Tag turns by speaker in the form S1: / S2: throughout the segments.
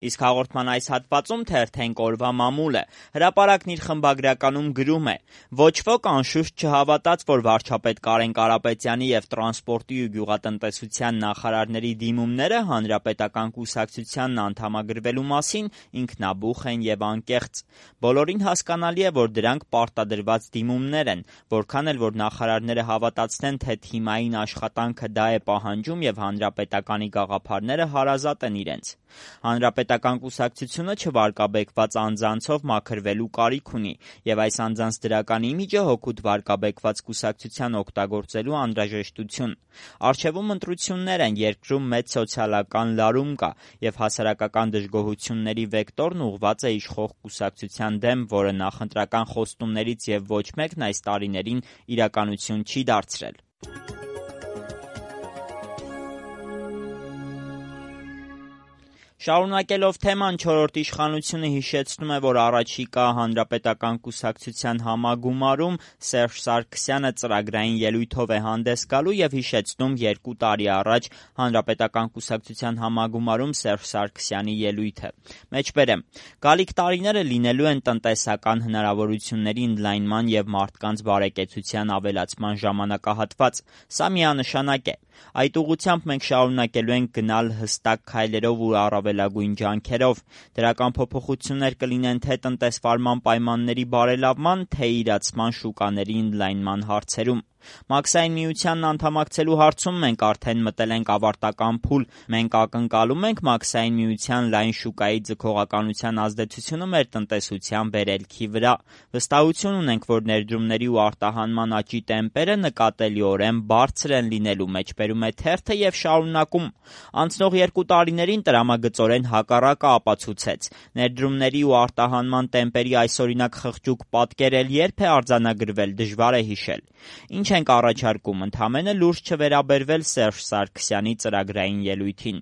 S1: Իսկ հաղորդման այս հատվածում թերթենք օրվա մամուլը։ Հրապարակն իր խմբագրականում գրում է. «Ոչ ոք անշուշտ չհավատաց, որ վարչապետ Կարեն Կարապետյանի և տրանսպորտի ու գյուղատնտեսության նախարարների դիմումները Հանրապետական կուսակցությանն անդամագրվելու մասին ինքնաբուխ են և անկեղծ։ Բոլորին հասկանալի է, որ դրանք պարտադրված դիմումներ են, որքան էլ որ նախարարները հավատացնեն, թե թիմային աշխատանքը դա է պահանջում և Հանրապետականի գաղափարները հարազատ են իրենց։ Հանրապետական կուսակցությունը չվարկաբեկված անձանցով մաքրվելու կարիք ունի, և այս անձանց դրական իմիջը հօգուտ վարկաբեկված կուսակցության օգտագործելու անհրաժեշտություն։ Առջևում ընտրություններ են, երկրում մեծ սոցիալական լարում կա, և հասարակական դժգոհությունների վեկտորն ուղղված է իշխող կուսակցության դեմ, որը նախընտրական խոստումներից և ոչ մեկն այս տարիներին իրականություն չի դարձրել»։ Շարունակելով թեման, Չորրորդ իշխանությունը հիշեցնում է, որ առաջիկա Հանրապետական կուսակցության համագումարում Սերժ Սարգսյանը ծրագրային ելույթով է հանդես գալու և հիշեցնում 2 տարի առաջ Հանրապետական կուսակցության համագումարում Սերժ Սարգսյանի ելույթը։ Մեջբերեմ. «Գալիք տարիները լինելու են տնտեսական հնարավորությունների ընդլայնման և մարդկանց բարեկեցության ավելացման ժամանակահատված։ Սա միանշանակ է։ Այդ ուղղությամբ մենք շարունակելու ենք գնալ հստակ քայլերով ու առավելագույն ջանքերով։ Դրական փոփոխություններ կլինեն թե տնտեսվարման պայմանների բարելավման, թե իրացման շուկաների ընդլայնման հարցերում։ Մաքսային միությանն անդամակցելու հարցում մենք արդեն մտել ենք ավարտական փուլ։ Մենք ակնկալում ենք Մաքսային միության լայն շուկայի ձգողականության ազդեցությունը մեր տնտեսության վերելքի վրա։ Վստահություն ունենք, որ ներդրումների ու արտահանման աճի տեմպերը նկատելիորեն բարձր են լինելու», մեջբերում է թերթը և շարունակում. «Անցնող 2 տարիներին տրամագծորեն հակառակը ապացուցեց։ Ներդրումների ու արտահանման տեմպերի այսօրինակ խղճուկ պատկերել երբ է արձանագրվել, դժվար է հիշել։ Ինչ ենք առաջարկում, ընդամենը լուրջ չվերաբերվել Սերժ Սարգսյանի ծրագրային ելույթին»։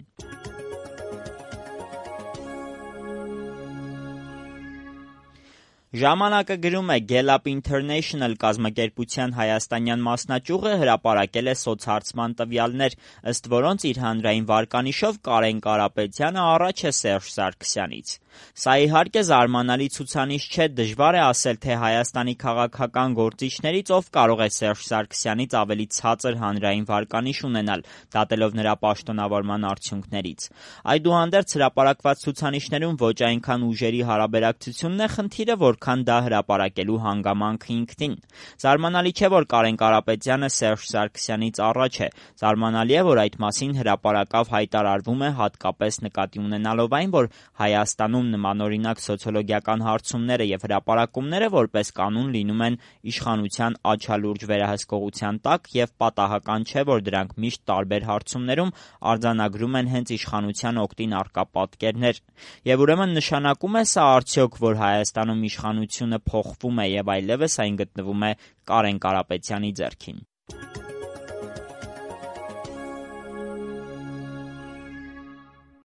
S1: Ժամանակը գրում է. «Gallup International կազմակերպության հայաստանյան մասնաճյուղը հրապարակել է սոցհարցման տվյալներ, ըստ որոնց իր հանրային վարկանիշով Կարեն Կարապետյանը առաջ է Սերժ Սարգսյանից։ Սա իհարկե զարմանալի ցուցանիշ չէ, դժվար է ասել, թե Հայաստանի քաղաքական գործիչներից ով կարող է Սերժ Սարգսյանից ավելի ցածր հանրային վարկանիշ ունենալ, դատելով նրա պաշտոնավարման արդյունքներից։ Այդուհանդերձ հրապարակված ցուցանիշներում ոչ այնքան ուժերի հարաբերակցությունն է խնդիրը, որքան դա հրապարակելու հանգամանքը ինքնին։ Զարմանալի չէ, որ Կարեն Կարապետյանը Սերժ Սարգսյանից առաջ է։ Զարմանալի է, որ այդ մասին հրապարակավ հայտարարվում է, հատկապես նկատի ունենալով այն, որ Հայաստանում նմանօրինակ սոցիոլոգիական հարցումները և հրապարակումները որպես կանոն լինում են իշխանության աչալուրջ վերահսկողության տակ և պատահական չէ, որ դրանք միշտ տարբեր հարցումներում արձանագրում են հենց իշխանության օգտին առկա պատկերներ։ Եվ ուրեմն նշանակում է սա արդյոք, որ Հայաստանում իշխանությունը փոխվում է և այլևս այն գտնվում է Կարեն Կարապետյանի ձեռքին։